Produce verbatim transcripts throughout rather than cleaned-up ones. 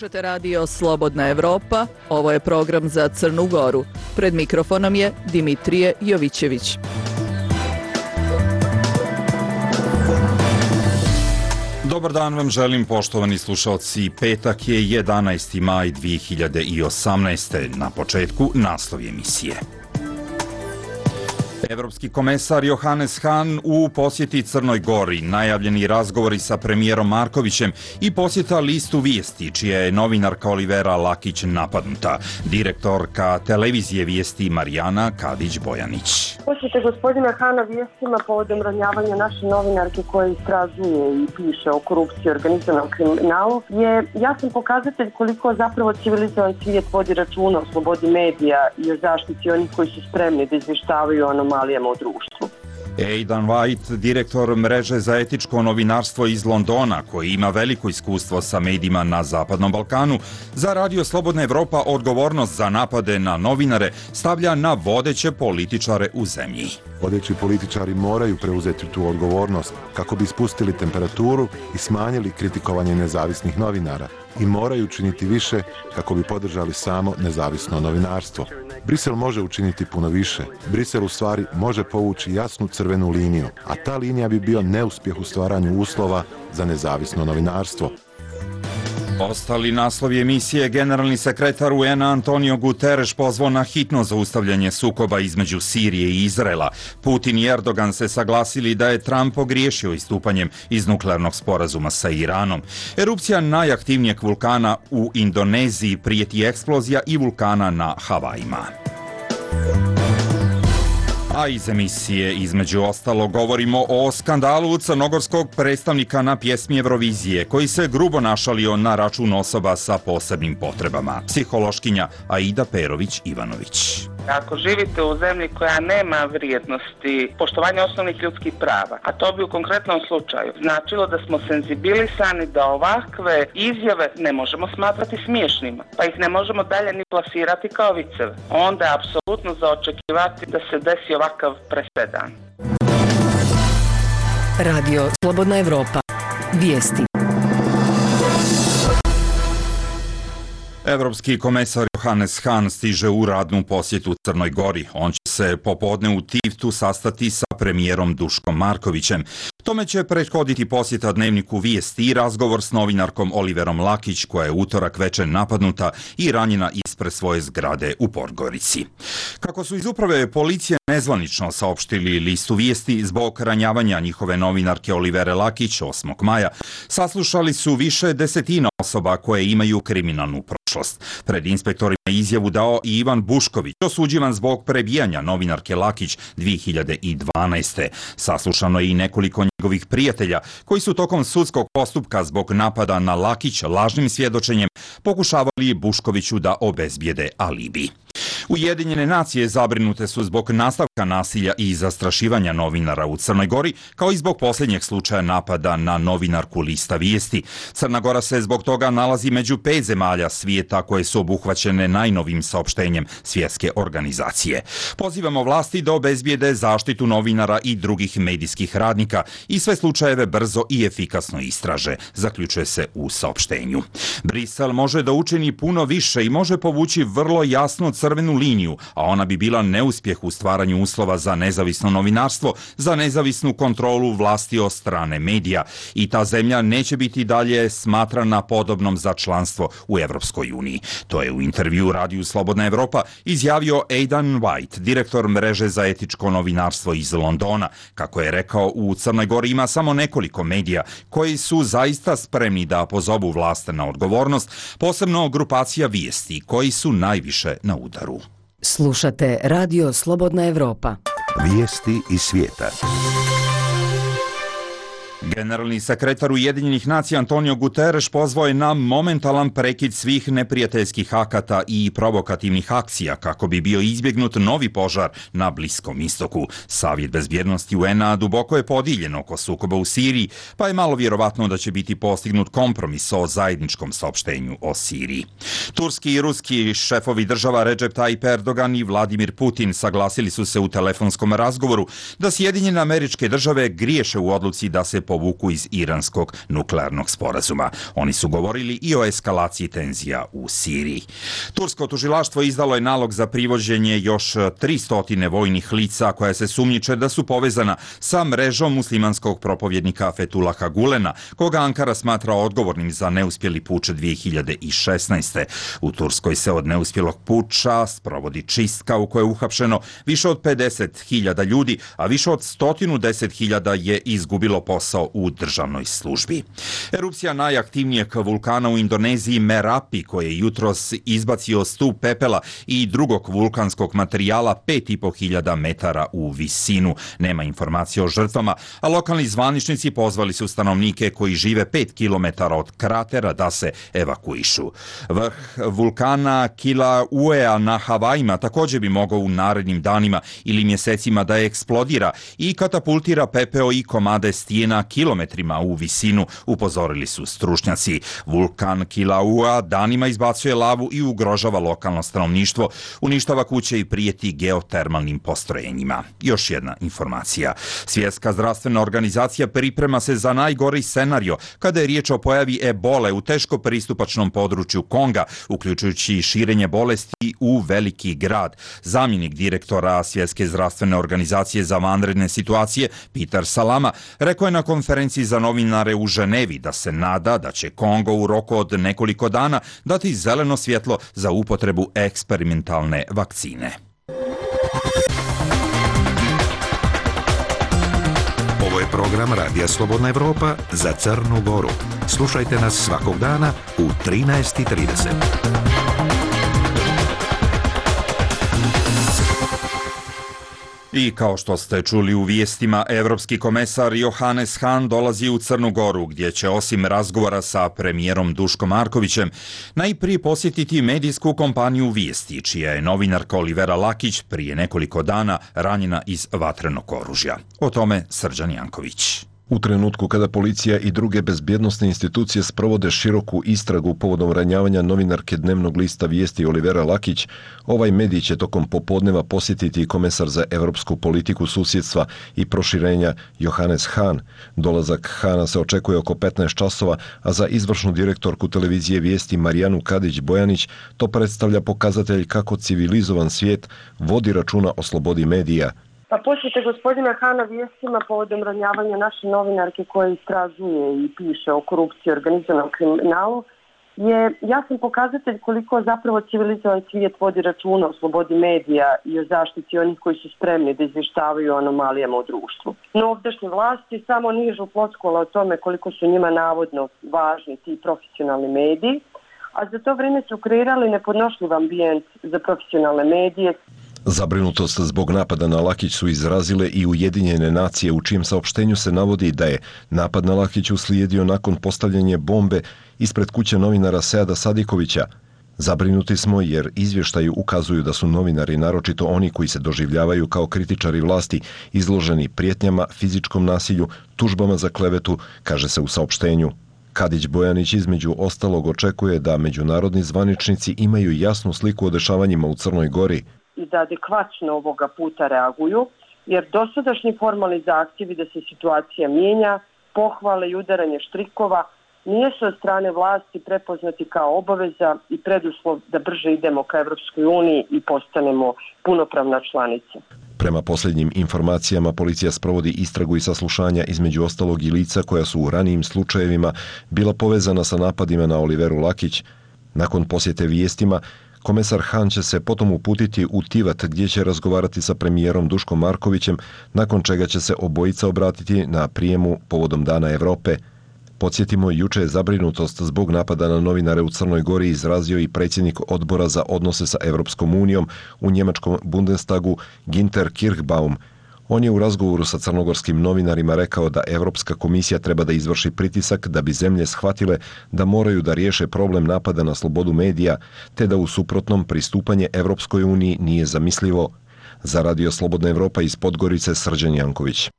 Slušate radio Slobodna Evropa, ovo je program za Crnu Goru. Pred mikrofonom je Dimitrije Jovićević. Dobar dan vam želim, poštovani slušalci. Petak je jedanaesti maj dve hiljade osamnaeste. Na početku naslov emisije. Evropski komesar Johannes Hahn u posjeti Crnoj Gori, najavljeni razgovori sa premijerom Markovićem i posjeta listu Vijesti, čija je novinarka Olivera Lakić napadnuta. Direktorka televizije Vijesti Marijana Kadić-Bojanić. Posjete gospodina Hana Vijestima povodom ranjavanja naše novinarke koja istražuje i piše o korupciji i organizovanom kriminalu je jasan pokazatelj koliko zapravo civilizovan svijet vodi računa o slobodi medija i o zaštiti onih koji su spremni da izvještavaju o anomalijama u društvu. Aidan White, direktor mreže za etičko novinarstvo iz Londona, koji ima veliko iskustvo sa medijima na Zapadnom Balkanu, za Radio Slobodna Evropa odgovornost za napade na novinare stavlja na vodeće političare u zemlji. Vodeći političari moraju preuzeti tu odgovornost kako bi spustili temperaturu i smanjili kritikovanje nezavisnih novinara i moraju učiniti više kako bi podržali samo nezavisno novinarstvo. Brisel može učiniti puno više. Brisel u stvari može povući jasnu crvenu liniju, a ta linija bi bio neuspjeh u stvaranju uslova za nezavisno novinarstvo. Ostali naslovi emisije: generalni sekretar U N-a Antonio Guterres pozvao na hitno zaustavljanje sukoba između Sirije i Izraela. Putin i Erdogan se saglasili da je Trump pogriješio istupanjem iz nuklearnog sporazuma sa Iranom. Erupcija najaktivnijeg vulkana u Indoneziji, prijeti eksplozija i vulkana na Havajima. A iz emisije, između ostalo, govorimo o skandalu crnogorskog predstavnika na pjesmi Eurovizije, koji se grubo našalio na račun osoba sa posebnim potrebama. Psihološkinja Aida Perović-Ivanović. Ako živite u zemlji koja nema vrijednosti poštovanja osnovnih ljudskih prava, a to bi u konkretnom slučaju značilo da smo senzibilisani da ovakve izjave ne možemo smatrati smiješnima, pa ih ne možemo dalje ni plasirati kao viceve, onda je apsolutno za očekivati da se desi ovakav presedan. Radio Slobodna Evropa. Vijesti. Evropski komesar Johannes Hahn stiže u radnu posjetu Crnoj Gori. On će se popodne u Tivtu sastati sa premijerom Duškom Markovićem. Tome će prethoditi posjeta dnevniku Vijesti i razgovor s novinarkom Oliverom Lakić, koja je utorak večer napadnuta i ranjena ispred svoje zgrade u Podgorici. Kako su iz uprave policije nezvanično saopštili listu Vijesti, zbog ranjavanja njihove novinarke Olivere Lakić osmog maja, saslušali su više desetina osoba koje imaju kriminalnu prošlost. Pred inspektorima izjavu dao i Ivan Bušković, osuđivan zbog prebijanja novinarke Lakić dve hiljade dvanaeste. Saslušano je i nekoliko njegovih prijatelja koji su tokom sudskog postupka zbog napada na Lakić lažnim svjedočenjem pokušavali Buškoviću da obezbijede alibi. Ujedinjene nacije zabrinute su zbog nastavka nasilja i zastrašivanja novinara u Crnoj Gori, kao i zbog posljednjeg slučaja napada na novinarku lista Vijesti. Crna Gora se zbog toga nalazi među pet zemalja svijeta koje su obuhvaćene najnovim saopštenjem svjetske organizacije. Pozivamo vlasti da obezbijede zaštitu novinara i drugih medijskih radnika i sve slučajeve brzo i efikasno istraže, zaključuje se u saopštenju. Brisel može da učini puno više i može povući vrlo jasnu crvenu liniju, a ona bi bila neuspjeh u stvaranju uslova za nezavisno novinarstvo, za nezavisnu kontrolu vlasti od strane medija, i ta zemlja neće biti dalje smatrana podobnom za članstvo u Evropskoj uniji. To je u intervju Radiju Slobodna Evropa izjavio Aidan White, direktor mreže za etičko novinarstvo iz Londona. Kako je rekao, u Crnoj Gori ima samo nekoliko medija koji su zaista spremni da pozovu vlast na odgovornost, posebno grupacija Vijesti, koji su najviše na udaru. Slušate Radio Slobodna Evropa. Vijesti iz svijeta. Generalni sekretar Ujedinjenih nacija Antonio Guterres pozvao je na momentalan prekid svih neprijateljskih akata i provokativnih akcija kako bi bio izbjegnut novi požar na Bliskom istoku. Savjet bezbjednosti U N-a duboko je podijeljen oko sukoba u Siriji, pa je malo vjerovatno da će biti postignut kompromis o zajedničkom saopštenju o Siriji. Turski i ruski šefovi država Recep Tayyip Erdogan i Vladimir Putin saglasili su se u telefonskom razgovoru da Sjedinjene Američke Države griješe u odluci da se povuku iz iranskog nuklearnog sporazuma. Oni su govorili i o eskalaciji tenzija u Siriji. Tursko tužilaštvo izdalo je nalog za privođenje još tristo vojnih lica koja se sumnjiče da su povezana sa mrežom muslimanskog propovjednika Fethulaha Gulena, koga Ankara smatra odgovornim za neuspjeli puč dvije hiljade šesnaeste. U Turskoj se od neuspjelog puča sprovodi čistka u kojoj je uhapšeno više od pedeset hiljada ljudi, a više od sto deset hiljada je izgubilo posao u državnoj službi. Erupcija najaktivnijeg vulkana u Indoneziji Merapi, koji je jutros izbacio stup pepela i drugog vulkanskog materijala pet i po hiljada metara u visinu. Nema informacije o žrtvama, a lokalni zvaničnici pozvali su stanovnike koji žive pet kilometara od kratera da se evakuišu. Vrh vulkana Kilauea na Havajima također bi mogao u narednim danima ili mjesecima da eksplodira i katapultira pepeo i komade stijena kilometrima u visinu, upozorili su stručnjaci. Vulkan Kilauea danima izbacuje lavu i ugrožava lokalno stanovništvo, uništava kuće i prijeti geotermalnim postrojenjima. Još jedna informacija. Svjetska zdravstvena organizacija priprema se za najgori scenario kada je riječ o pojavi ebole u teško pristupačnom području Konga, uključujući širenje bolesti u veliki grad. Zamjenik direktora Svjetske zdravstvene organizacije za vanredne situacije, Peter Salama, rekao je na konferenciji za novinare u Ženevi da se nada da će Kongo u roku od nekoliko dana dati zeleno svjetlo za upotrebu eksperimentalne vakcine. Ovo je program Radija Slobodna Evropa za Crnu Goru. Slušajte nas svakog dana u trinaest i trideset. I kao što ste čuli u vijestima, evropski komesar Johannes Hahn dolazi u Crnu Goru, gdje će osim razgovora sa premijerom Duškom Markovićem najprije posjetiti medijsku kompaniju Vijesti, čija je novinarka Olivera Lakić prije nekoliko dana ranjena iz vatrenog oružja. O tome Srđan Janković. U trenutku kada policija i druge bezbjednosne institucije sprovode široku istragu povodom ranjavanja novinarke dnevnog lista Vijesti Olivera Lakić, ovaj medij će tokom popodneva posjetiti i komesar za evropsku politiku susjedstva i proširenja Johannes Hahn. Dolazak Hahna se očekuje oko petnaest časova, a za izvršnu direktorku televizije Vijesti Marijanu Kadić-Bojanić to predstavlja pokazatelj kako civilizovan svijet vodi računa o slobodi medija. Pa posjete gospodina Hahna vijestima povodom ranjavanja naše novinarke koja istražuje i piše o korupciji i organizovanom kriminalu je jasan pokazatelj koliko zapravo civilizovan svijet vodi računa o slobodi medija i o zaštiti onih koji su spremni da izvještavaju o anomalijama u društvu. No ovdašnje vlasti samo nižu floskula o tome koliko su njima navodno važni ti profesionalni mediji, a za to vrijeme su kreirali nepodnošljiv ambijent za profesionalne medije. Zabrinutost zbog napada na Lakić su izrazile i Ujedinjene nacije, u čijem saopštenju se navodi da je napad na Lakić uslijedio nakon postavljanja bombe ispred kuće novinara Seada Sadikovića. Zabrinuti smo jer izvještaji ukazuju da su novinari, naročito oni koji se doživljavaju kao kritičari vlasti, izloženi prijetnjama, fizičkom nasilju, tužbama za klevetu, kaže se u saopštenju. Kadić-Bojanić između ostalog očekuje da međunarodni zvaničnici imaju jasnu sliku o dešavanjima u Crnoj Gori i da adekvatno ovoga puta reaguju, jer dosadašnji formalni zahtjevi da se situacija mijenja, pohvale i udaranje štrikova nisu od strane vlasti prepoznati kao obaveza i preduslov da brže idemo ka Evropskoj uniji i postanemo punopravna članica. Prema posljednjim informacijama, policija sprovodi istragu i saslušanja između ostalog i lica koja su u ranijim slučajevima bila povezana sa napadima na Oliveru Lakić. Nakon posjete vijestima, komesar Hahn će se potom uputiti u Tivat, gdje će razgovarati sa premijerom Duškom Markovićem, nakon čega će se obojica obratiti na prijemu povodom Dana Evrope. Podsjetimo, juče je zabrinutost zbog napada na novinare u Crnoj Gori izrazio i predsjednik odbora za odnose sa Evropskom unijom u njemačkom Bundestagu Ginter Kirchbaum. On je u razgovoru sa crnogorskim novinarima rekao da Evropska komisija treba da izvrši pritisak da bi zemlje shvatile da moraju da riješe problem napada na slobodu medija, te da u suprotnom pristupanje Evropskoj uniji nije zamislivo. Za Radio Slobodna Evropa iz Podgorice, Srđan Janković.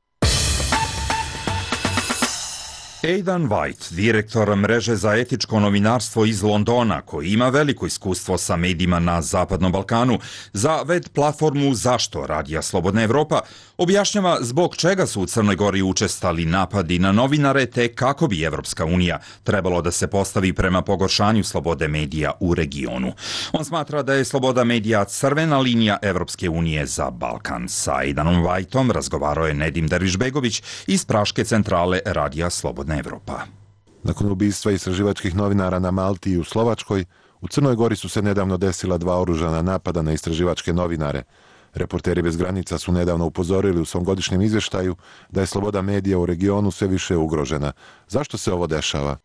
Aidan White, direktor mreže za etičko novinarstvo iz Londona, koji ima veliko iskustvo sa medijima na Zapadnom Balkanu, za web platformu Zašto Radija Slobodna Evropa, objašnjava zbog čega su u Crnoj Gori učestali napadi na novinare te kako bi Evropska unija trebalo da se postavi prema pogoršanju slobode medija u regionu. On smatra da je sloboda medija crvena linija Evropske unije za Balkan. Sa Aidanom Whiteom razgovarao je Nedim Dervišbegović iz Praške centrale Radija Slobodna Evropa. Nakon ubistva istraživačkih novinara na Malti i u Slovačkoj, u Crnoj Gori su se nedavno desila dva oružana napada na istraživačke novinare. Reporteri bez granica su nedavno upozorili u svom godišnjem izvještaju da je sloboda medija u regionu sve više ugrožena. Zašto se ovo dešava?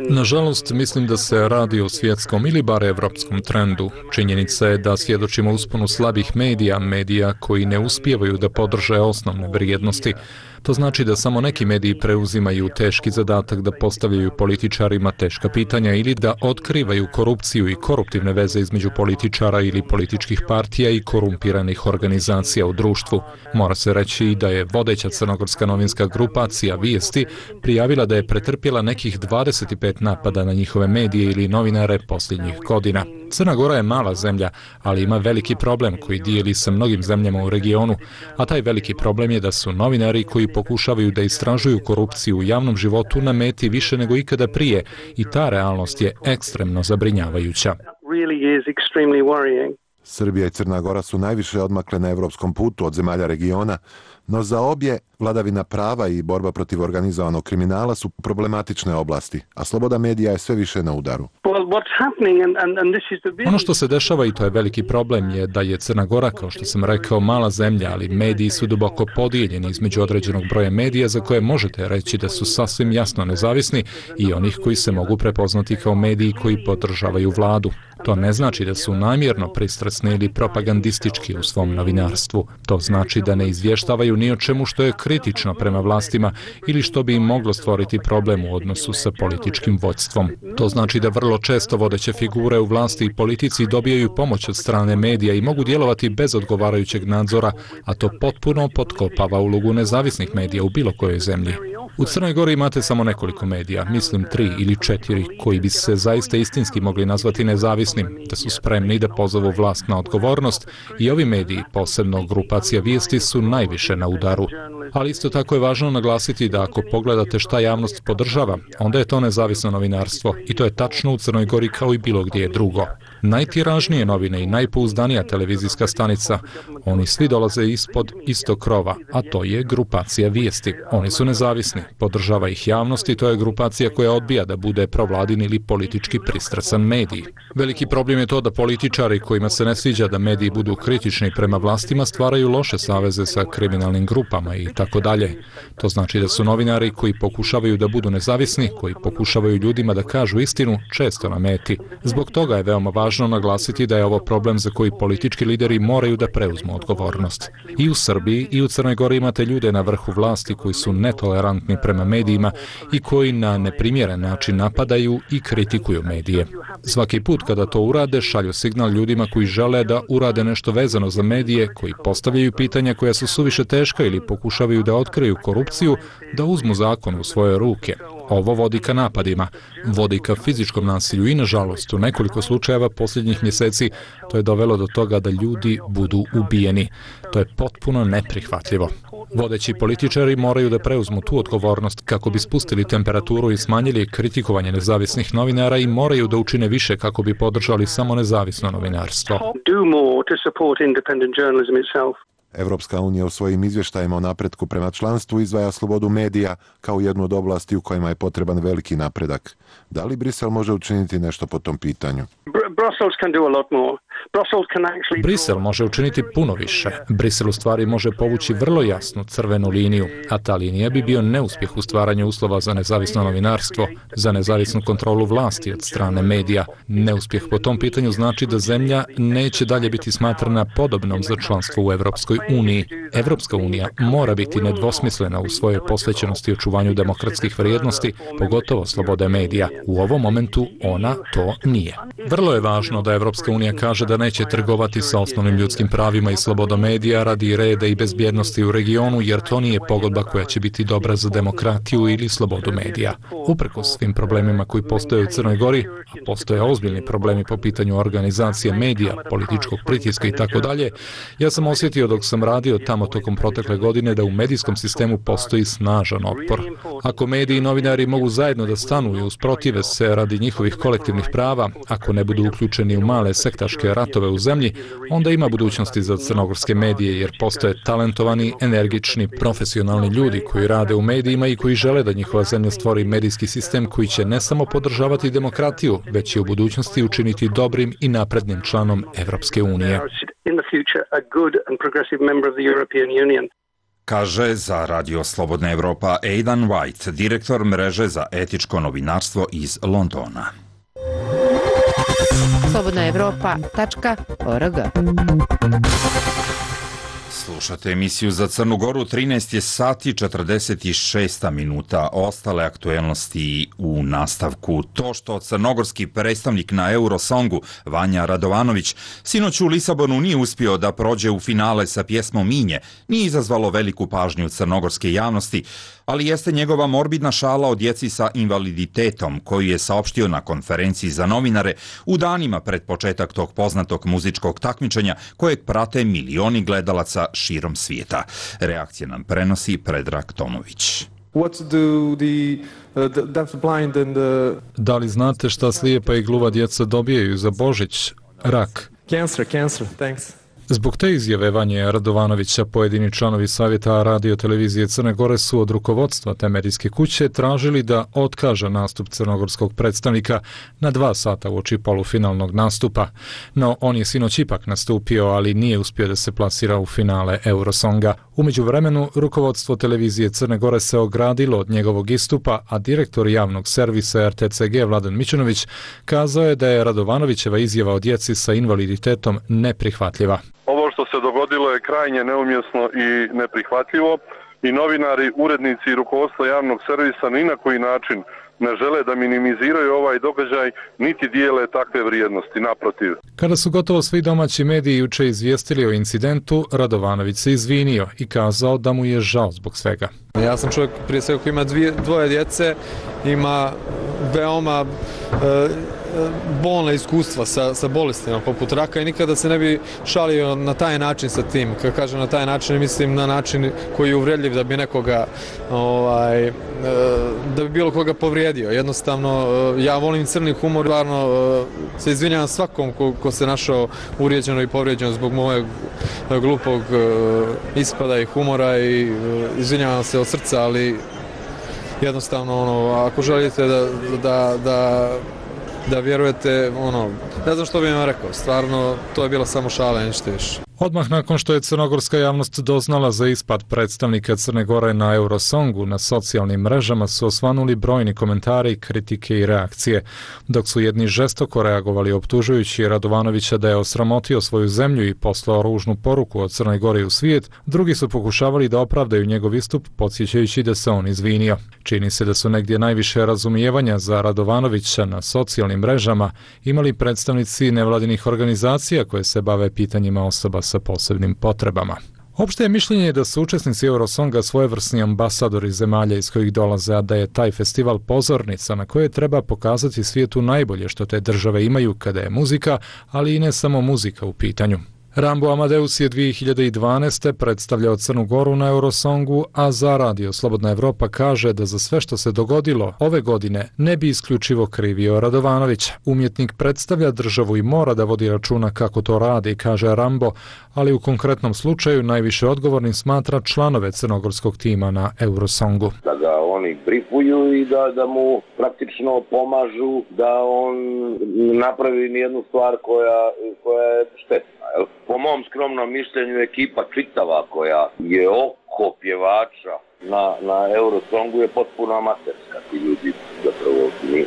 Nažalost, mislim da se radi o svjetskom ili bar evropskom trendu. Činjenica je da svjedočimo usponu slabih medija, medija koji ne uspijevaju da podrže osnovne vrijednosti. To znači da samo neki mediji preuzimaju teški zadatak da postavljaju političarima teška pitanja ili da otkrivaju korupciju i koruptivne veze između političara ili političkih partija i korumpiranih organizacija u društvu. Mora se reći da je vodeća crnogorska novinska grupacija Vijesti prijavila da je pretrpjela nekih dvadeset pet napada na njihove medije ili novinare posljednjih godina. Crna Gora je mala zemlja, ali ima veliki problem koji dijeli sa mnogim zemljama u regionu, a taj veliki problem je da su novinari koji pokušavaju da istražuju korupciju u javnom životu na meti više nego ikada prije i ta realnost je ekstremno zabrinjavajuća. Srbija i Crna Gora su najviše odmakle na evropskom putu od zemalja regiona, no za obje vladavina prava i borba protiv organizovanog kriminala su problematične oblasti, a sloboda medija je sve više na udaru. Ono što se dešava, i to je veliki problem, je da je Crna Gora, kao što sam rekao, mala zemlja, ali mediji su duboko podijeljeni između određenog broja medija za koje možete reći da su sasvim jasno nezavisni i onih koji se mogu prepoznati kao mediji koji podržavaju vladu. To ne znači da su namjerno pristrasni ili propagandistički u svom novinarstvu. To znači da ne izvještavaju ni o čemu što je kritično prema vlastima ili što bi im moglo stvoriti problem u odnosu sa političkim vođstvom. To znači da vrlo često vodeće figure u vlasti i politici dobijaju pomoć od strane medija i mogu djelovati bez odgovarajućeg nadzora, a to potpuno potkopava ulogu nezavisnih medija u bilo kojoj zemlji. U Crnoj Gori imate samo nekoliko medija, mislim tri ili četiri, koji bi se zaista istinski mogli nazvati nezavisnim, da su spremni da pozovu vlast na odgovornost i ovi mediji, posebno grupacija Vijesti, su najviše na udaru. Ali isto tako je važno naglasiti da ako pogledate šta javnost podržava, onda je to nezavisno novinarstvo i to je tačno u Crnoj Gori kao i bilo gdje drugo. Najtiražnije novine i najpouzdanija televizijska stanica, oni svi dolaze ispod istog krova, a to je grupacija Vijesti. Oni su nezavisni, podržava ih javnost i to je grupacija koja odbija da bude provladin ili politički pristrasan medij. Veliki problem je to da političari kojima se ne sviđa da mediji budu kritični prema vlastima stvaraju loše saveze sa kriminalnim grupama i tako dalje. To znači da su novinari koji pokušavaju da budu nezavisni, koji pokušavaju ljudima da kažu istinu, često na meti. Zbog toga je veoma važno naglasiti da je ovo problem za koji politički lideri moraju da preuzmu odgovornost. I u Srbiji i u Crnoj Gori imate ljude na vrhu vlasti koji su netolerantni prema medijima i koji na neprimjeren način napadaju i kritikuju medije. Svaki put kada to urade, šalju signal ljudima koji žele da urade nešto vezano za medije, koji postavljaju pitanja koja su suviše teška ili pokušavaju da otkriju korupciju, da uzmu zakon u svoje ruke. Ovo vodi ka napadima, vodi ka fizičkom nasilju i, nažalost, u nekoliko slučajeva posljednjih mjeseci to je dovelo do toga da ljudi budu ubijeni. To je potpuno neprihvatljivo. Vodeći političari moraju da preuzmu tu odgovornost kako bi spustili temperaturu i smanjili kritikovanje nezavisnih novinara i moraju da učine više kako bi podržali samo nezavisno novinarstvo. Evropska unija u svojim izvještajima o napretku prema članstvu izdvaja slobodu medija kao jednu od oblasti u kojima je potreban veliki napredak. Da li Brisel može učiniti nešto po tom pitanju? Brisel može učiniti puno više. Brisel u stvari može povući vrlo jasnu crvenu liniju, a ta linija bi bio neuspjeh u stvaranju uslova za nezavisno novinarstvo, za nezavisnu kontrolu vlasti od strane medija. Neuspjeh po tom pitanju znači da zemlja neće dalje biti smatrana podobnom za članstvo u Evropskoj uniji. Evropska unija mora biti nedvosmislena u svojoj posvećenosti očuvanju demokratskih vrijednosti, pogotovo slobode medija. U ovom momentu ona to nije. Vrlo je važno da Evropska unija kaže da neće trgovati sa osnovnim ljudskim pravima i slobodom medija radi reda i bezbjednosti u regionu, jer to nije pogodba koja će biti dobra za demokratiju ili slobodu medija. Uprkos svim problemima koji postoje u Crnoj Gori, a postoje ozbiljni problemi po pitanju organizacije medija, političkog pritiska i tako dalje, ja sam osjetio dok sam radio tamo tokom protekle godine da u medijskom sistemu postoji snažan otpor. Ako mediji i novinari mogu zajedno da stanu i usprotive se radi njihovih kolektivnih prava, ako ne budu uključeni u male sektaške ratove u zemlji, onda ima budućnosti za crnogorske medije, jer postoje talentovani, energični, profesionalni ljudi koji rade u medijima i koji žele da njihova zemlja stvori medijski sistem koji će ne samo podržavati demokratiju, već i u budućnosti učiniti dobrim i naprednim članom Evropske unije. Kaže za Radio Slobodna Evropa Aidan White, direktor mreže za etičko novinarstvo iz Londona. slobodna evropa tačka org. Slušate emisiju za Crnu Goru, trinaest je sati četrdeset šest minuta. Ostale aktuelnosti u nastavku. To što crnogorski predstavnik na Eurosongu, Vanja Radovanović, sinoć u Lisabonu nije uspio da prođe u finale sa pjesmom Minje, nije izazvalo veliku pažnju crnogorske javnosti, ali jeste njegova morbidna šala o djeci sa invaliditetom, koju je saopštio na konferenciji za novinare u danima pred početak tog poznatog muzičkog takmičenja kojeg prate milioni gledalaca širom svijeta. Reakcije nam prenosi Predrag Tomović. Da li znate šta slijepa i gluva djeca dobijaju za Božić? Rak. Cancer, cancer, thanks. Zbog te izjave Vanje Radovanovića, pojedini članovi Savjeta Radio televizije Crne Gore su od rukovodstva te medijske kuće tražili da otkaže nastup crnogorskog predstavnika na dva sata uoči polufinalnog nastupa. No, on je sinoć ipak nastupio, ali nije uspio da se plasira u finale Eurosonga. U međuvremenu, rukovodstvo televizije Crne Gore se ogradilo od njegovog istupa, a direktor javnog servisa R T C G Vladan Mićunović kazao je da je Radovanovićeva izjava o djeci sa invaliditetom neprihvatljiva. Ovo što se dogodilo je krajnje neumjesno i neprihvatljivo i novinari, urednici i rukovodstvo javnog servisa ni na koji način ne žele da minimiziraju ovaj događaj, niti dijele takve vrijednosti, naprotiv. Kada su gotovo svi domaći mediji juče izvijestili o incidentu, Radovanović se izvinio i kazao da mu je žao zbog svega. Ja sam čovjek prije svega koji ima dvije, dvoje djece, ima veoma e, bolna iskustva sa, sa bolestima poput raka i nikada se ne bi šalio na taj način sa tim. Kad kažem na taj način, mislim na način koji je uvredljiv da bi nekoga, ovaj, da bi bilo koga povrijedio. Jednostavno, ja volim crni humor, stvarno se izvinjavam svakom ko, ko se našao uvrijeđeno i povrijeđeno zbog mojeg glupog ispada i humora i izvinjavam se od srca, ali jednostavno, ono, ako želite da, da, da da vjerujete, ono, ne znam što bih vam rekao, stvarno to je bilo samo šala, ništa više. Odmah nakon što je crnogorska javnost doznala za ispad predstavnika Crne Gore na Eurosongu, na socijalnim mrežama su osvanuli brojni komentari, kritike i reakcije, dok su jedni žestoko reagovali optužujući Radovanovića da je osramotio svoju zemlju i poslao ružnu poruku od Crnoj Gori u svijet, drugi su pokušavali da opravdaju njegov istup, podsjećajući da se on izvinio. Čini se da su negdje najviše razumijevanja za Radovanovića na socijalnim mrežama imali predstavnici nevladinih organizacija koje se bave pitanjima osoba sa posebnim potrebama. Opšte je mišljenje da su učesnici Eurosonga svojevrsni ambasadori zemalja iz kojih dolaze, a da je taj festival pozornica na kojoj treba pokazati svijetu najbolje što te države imaju kada je muzika, ali i ne samo muzika u pitanju. Rambo Amadeus je dvije hiljade dvanaeste. predstavljao Crnu Goru na Eurosongu, a za Radio Slobodna Evropa kaže da za sve što se dogodilo ove godine ne bi isključivo krivio Radovanovića. Umjetnik predstavlja državu i mora da vodi računa kako to radi, kaže Rambo, ali u konkretnom slučaju najviše odgovornim smatra članove crnogorskog tima na Eurosongu. Da ga oni brifuju i da, da mu praktično pomažu da on napravi nijednu stvar koja, koja je štetna. Po mom skromnom mišljenju ekipa čitava koja je oko pjevača na, na Eurosongu je potpuno amaterska. Ti ljudi zapravo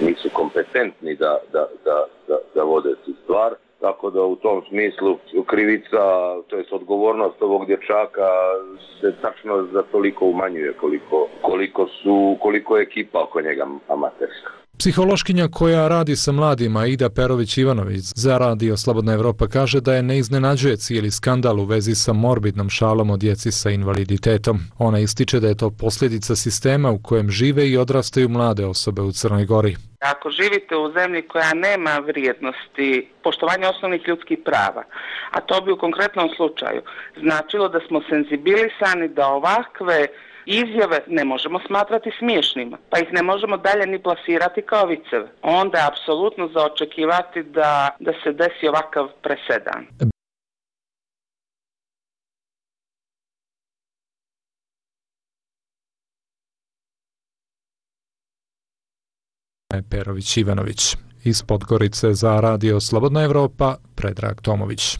nisu kompetentni da, da, da, da, da vode tu stvar. Tako da u tom smislu krivica, to jest odgovornost ovog dječaka se tačno za toliko umanjuje koliko, koliko, su, koliko je ekipa oko njega amaterska. Psihološkinja koja radi sa mladima, Ida Perović-Ivanović, za Radio Slobodna Evropa kaže da je ne iznenađuje cijeli skandal u vezi sa morbidnom šalom o djeci sa invaliditetom. Ona ističe da je to posljedica sistema u kojem žive i odrastaju mlade osobe u Crnoj Gori. Ako živite u zemlji koja nema vrijednosti poštovanja osnovnih ljudskih prava, a to bi u konkretnom slučaju značilo da smo senzibilisani da ovakve izjave ne možemo smatrati smiješnima, pa ih ne možemo dalje ni plasirati kao viceve, onda je apsolutno za očekivati da, da se desi ovakav presedan. Perović-Ivanović. Iz Podgorice za Radio Slobodna Evropa, Predrag Tomović.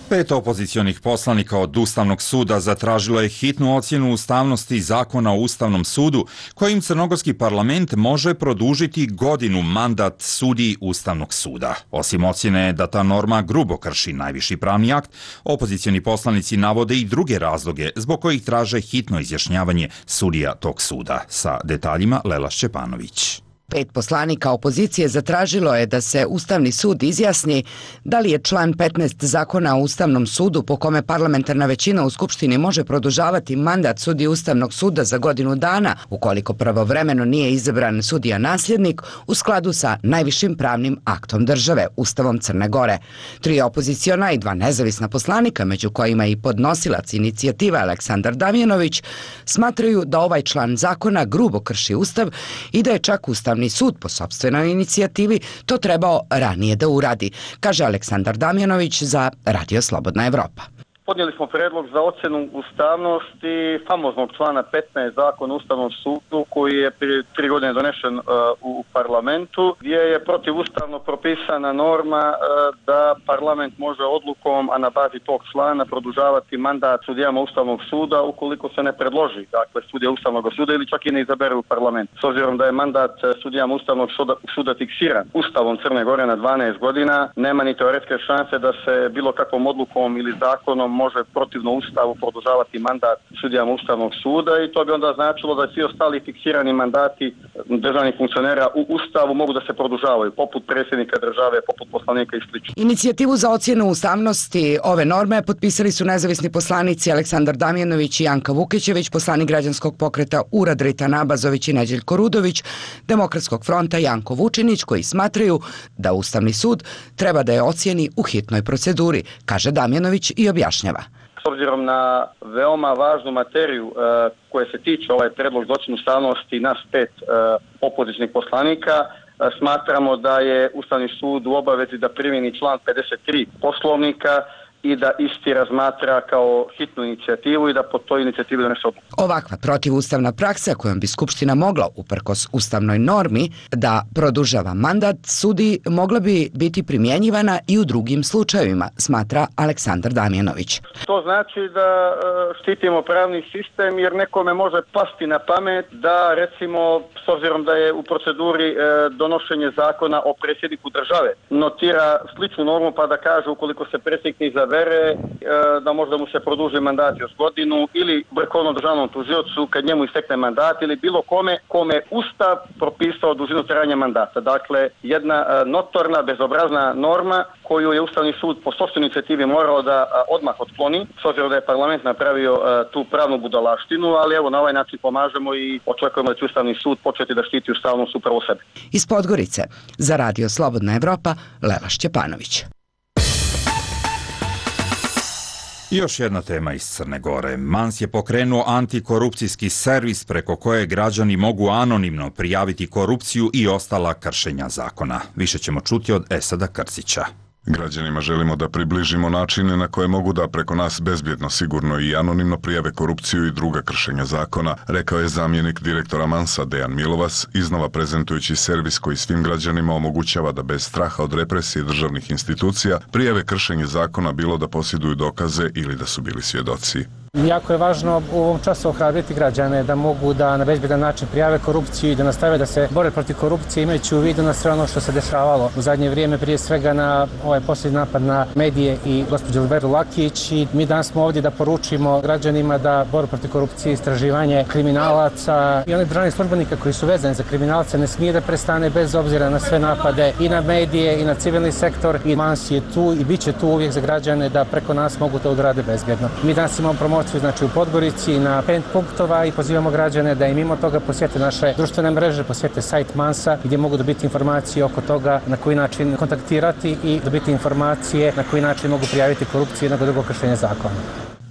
Pet opozicionih poslanika od Ustavnog suda zatražilo je hitnu ocjenu ustavnosti zakona o Ustavnom sudu, kojim crnogorski parlament može produžiti godinu mandat sudiji Ustavnog suda. Osim ocjene da ta norma grubo krši najviši pravni akt, opozicioni poslanici navode i druge razloge zbog kojih traže hitno izjašnjavanje sudija tog suda. Sa detaljima Lela Šćepanović. Pet poslanika opozicije zatražilo je da se Ustavni sud izjasni da li je član petnaest zakona o Ustavnom sudu po kome parlamentarna većina u Skupštini može produžavati mandat sudiji Ustavnog suda za godinu dana ukoliko pravovremeno nije izabran sudija nasljednik u skladu sa najvišim pravnim aktom države, Ustavom Crne Gore. Tri opoziciona i dva nezavisna poslanika, među kojima i podnosilac inicijative Aleksandar Damjanović, smatraju da ovaj član zakona grubo krši Ustav i da je čak Ustavni sud po sopstvenoj inicijativi to trebao ranije da uradi, kaže Aleksandar Damjanović za Radio Slobodna Evropa. Podnijeli smo predlog za ocjenu ustavnosti famoznog člana petnaest zakona o Ustavnom sudu koji je prije tri godine donešen uh, u parlamentu, gdje je protivustavno propisana norma uh, da parlament može odlukom, a na bazi tog člana, produžavati mandat sudijama Ustavnog suda ukoliko se ne predloži, dakle, sudija Ustavnog suda ili čak i ne izabere u parlament. S obzirom da je mandat sudijama Ustavnog suda, suda fiksiran Ustavom Crne Gore na dvanaest godina, nema ni teoretske šanse da se bilo kakvom odlukom ili zakonom može protivno Ustavu produžavati mandat sudijama Ustavnog suda i to bi onda značilo da svi ostali fiksirani mandati državnih funkcionera u Ustavu mogu da se produžavaju, poput predsjednika države, poput poslanika i slično. Inicijativu za ocjenu ustavnosti ove norme potpisali su nezavisni poslanici Aleksandar Damjanović i Janka Vukićević, poslanik građanskog pokreta Urad Ritan Abazović i Neđeljko Rudović, Demokratskog fronta Janko Vučinić, koji smatraju da Ustavni sud treba da je ocjeni u hitnoj proceduri, kaže Damjanović i objašnjava. S obzirom na veoma važnu materiju uh, koje se tiče ovaj predlog za ocjenu ustavnosti nas pet uh, opozicijnih poslanika, uh, smatramo da je Ustavni sud u obavezi da primjeni član pedeset tri Poslovnika i da isti razmatra kao hitnu inicijativu i da po toj inicijativi donese odluku. Ovakva protivustavna praksa kojom bi Skupština mogla, uprkos ustavnoj normi, da produžava mandat sudi, mogla bi biti primjenjivana i u drugim slučajevima, smatra Aleksandar Damjanović. To znači da štitimo pravni sistem jer nekome može pasti na pamet da, recimo, s obzirom da je u proceduri donošenje zakona o predsjedniku države, notira sličnu normu pa da kaže ukoliko se predsjednik ne izabere da možda mu se produži mandat još godinu ili vrhovnom državnom tužiocu kad njemu istekne mandat ili bilo kome kome Ustav propisao dužinu trajanja mandata. Dakle, jedna notorna, bezobrazna norma koju je Ustavni sud po sopstvenoj inicijativi morao da odmah otkloni, s obzirom da je parlament napravio tu pravnu budalaštinu, ali evo na ovaj način pomažemo i očekujemo da će Ustavni sud početi da štiti ustavnost upravo sebe. Iz Podgorice za Radio Slobodna Evropa, Lela Šćepanović. Još jedna tema iz Crne Gore. Mans je pokrenuo antikorupcijski servis preko koje građani mogu anonimno prijaviti korupciju i ostala kršenja zakona. Više ćemo čuti od Esada Krcića. Građanima želimo da približimo načine na koje mogu da preko nas bezbjedno, sigurno i anonimno prijave korupciju i druga kršenja zakona, rekao je zamjenik direktora Mansa Dejan Milovas, iznova prezentujući servis koji svim građanima omogućava da bez straha od represije državnih institucija prijave kršenje zakona bilo da posjeduju dokaze ili da su bili svjedoci. Jako je važno u ovom času ohrabriti građane da mogu da na bezbedan način prijave korupciju i da nastave da se bore protiv korupcije, imajući u vidu na sve ono što se dešavalo u zadnje vrijeme, prije svega na ovaj posljednji napad na medije i gospođu Oliveru Lakić. I mi danas smo ovdje da poručimo građanima da boru protiv korupcije, istraživanje kriminalaca i onih državnih službenika koji su vezani za kriminalce ne smije da prestane bez obzira na sve napade i na medije i na civilni sektor. I Mans je tu i bit će tu uvijek za građane da preko nas mogu to odrade bezbjedno. Mi danas imamo promociju znači u Podgorici na pet punktova i pozivamo građane da i mimo toga posjete naše društvene mreže, posjete sajt Mansa gdje mogu dobiti informacije oko toga na koji način kontaktirati i dobiti informacije na koji način mogu prijaviti korupciju i jednog drugog kršenja zakona.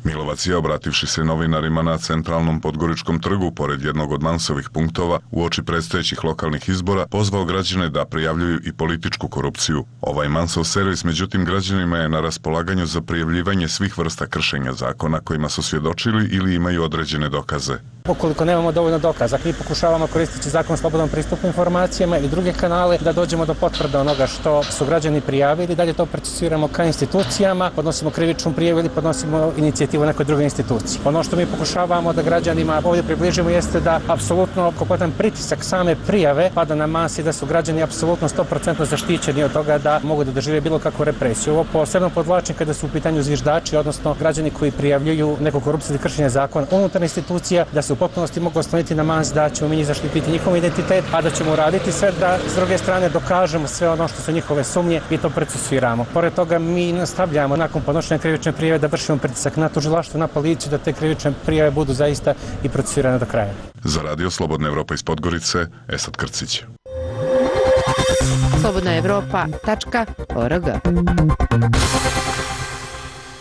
Milovac je, obrativši se novinarima na centralnom Podgoričkom trgu pored jednog od Mansovih punktova uoči predstojećih lokalnih izbora, pozvao građane da prijavljuju i političku korupciju. Ovaj Mansov servis međutim građanima je na raspolaganju za prijavljivanje svih vrsta kršenja zakona kojima su svjedočili ili imaju određene dokaze. Ukoliko nemamo dovoljno dokaza, mi pokušavamo koristiti zakon o slobodnom pristupu informacijama i druge kanale da dođemo do potvrde onoga što su građani prijavili, dalje to procesiramo ka institucijama, podnosimo krivičnu prijavu ili podnosimo inicijativu nekoj drugoj instituciji. Ono što mi pokušavamo da građanima ovdje približimo jeste da apsolutno kompletan pritisak same prijave pada na Mans i da su građani apsolutno sto posto zaštićeni od toga da mogu da dožive bilo kakvu represiju. Ovo posebno podvlačim kada su u pitanju zviždači, odnosno građani koji prijavljuju neku korupciju ili kršenje zakona unutar institucija, da se u potpunosti mogu osloniti na Mans da ćemo mi njih zaštititi njihov identitet, a da ćemo uraditi sve da s druge strane dokažemo sve ono što su njihove sumnje i to procesuiramo. Pored toga mi nastavljamo nakon podnošenja krivične prijave da vršimo pritisak na tužilaštvo, na policiju da te krivične prijave budu zaista i procesuirane do kraja. Za Radio Slobodna Evropa iz Podgorice, Esad Krcić. slobodna evropa tačka org.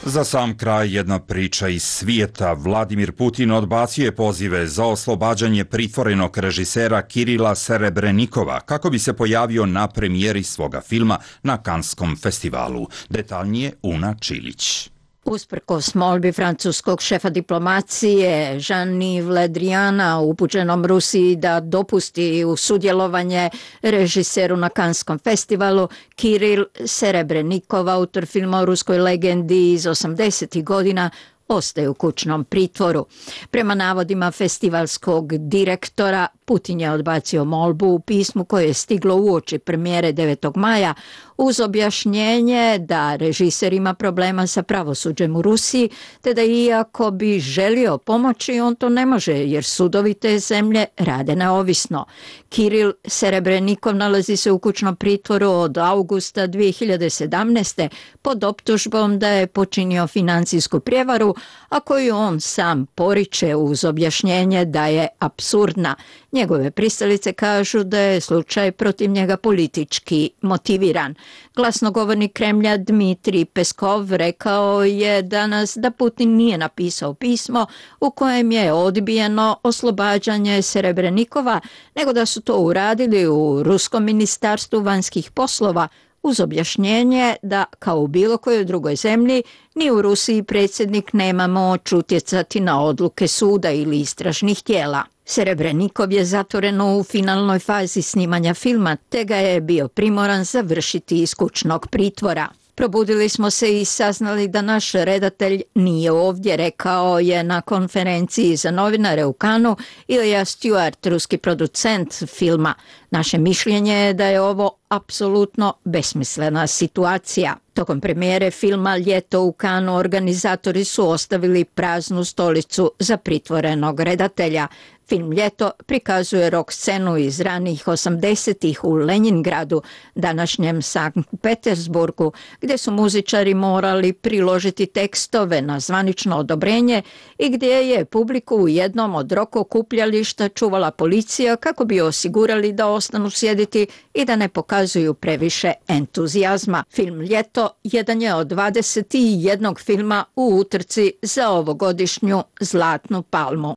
Za sam kraj jedna priča iz svijeta. Vladimir Putin odbacio je pozive za oslobađanje pritvorenog režisera Kirila Serebrenikova kako bi se pojavio na premijeri svoga filma na Kanskom festivalu. Detaljnije Una Čilić. Usprkos molbi francuskog šefa diplomacije Jean-Yves Le Driana upućenom Rusiji da dopusti u sudjelovanje režiseru na Kanskom festivalu, Kiril Serebrenikov, autor filma o ruskoj legendi iz osamdesetih godina, ostaje u kućnom pritvoru. Prema navodima festivalskog direktora, Putin je odbacio molbu u pismu koje je stiglo uoči premijere devetog maja uz objašnjenje da režiser ima problema sa pravosuđem u Rusiji, te da iako bi želio pomoći, on to ne može jer sudovi te zemlje rade neovisno. Kiril Serebrenikov nalazi se u kućnom pritvoru od augusta dvije hiljade sedamnaeste. pod optužbom da je počinio financijsku prijevaru, a koju on sam poriče uz objašnjenje da je apsurdna. Njegove pristalice kažu da je slučaj protiv njega politički motiviran. Glasnogovornik Kremlja Dmitrij Peskov rekao je danas da Putin nije napisao pismo u kojem je odbijeno oslobađanje Serebrenikova, nego da su to uradili u Ruskom ministarstvu vanjskih poslova uz objašnjenje da, kao u bilo kojoj drugoj zemlji, ni u Rusiji predsjednik nema moć utjecati na odluke suda ili istražnih tijela. Serebrenikov je zatvoren u finalnoj fazi snimanja filma, te ga je bio primoran završiti iz kućnog pritvora. Probudili smo se i saznali da naš redatelj nije ovdje, rekao je na konferenciji za novinare u Kanu Ilija Stewart, ruski producent filma. Naše mišljenje je da je ovo apsolutno besmislena situacija. Tokom premijere filma Ljeto u Kanu organizatori su ostavili praznu stolicu za pritvorenog redatelja. Film Ljeto prikazuje rock scenu iz ranih osamdesetih u Leningradu, današnjem Sankt Petersburgu, gdje su muzičari morali priložiti tekstove na zvanično odobrenje i gdje je publiku u jednom od rock okupljališta čuvala policija kako bi osigurali da ostanu sjediti i da ne pokazuju previše entuzijazma. Film Ljeto jedan je od dvadeset jednog filma u utrci za ovogodišnju Zlatnu palmu.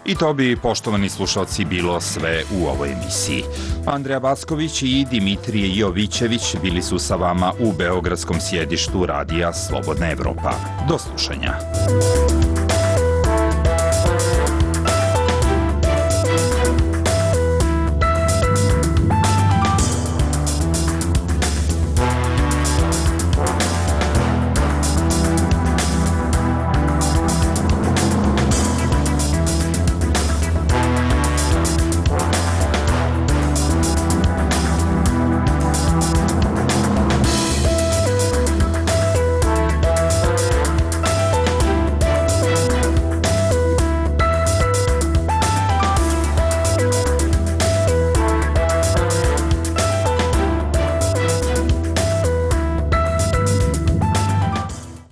I to bi, poštovani slušalci, bilo sve u ovoj emisiji. Andreja Backović i Dimitrije Jovićević bili su sa vama u beogradskom sjedištu Radija Slobodna Evropa. Do slušanja.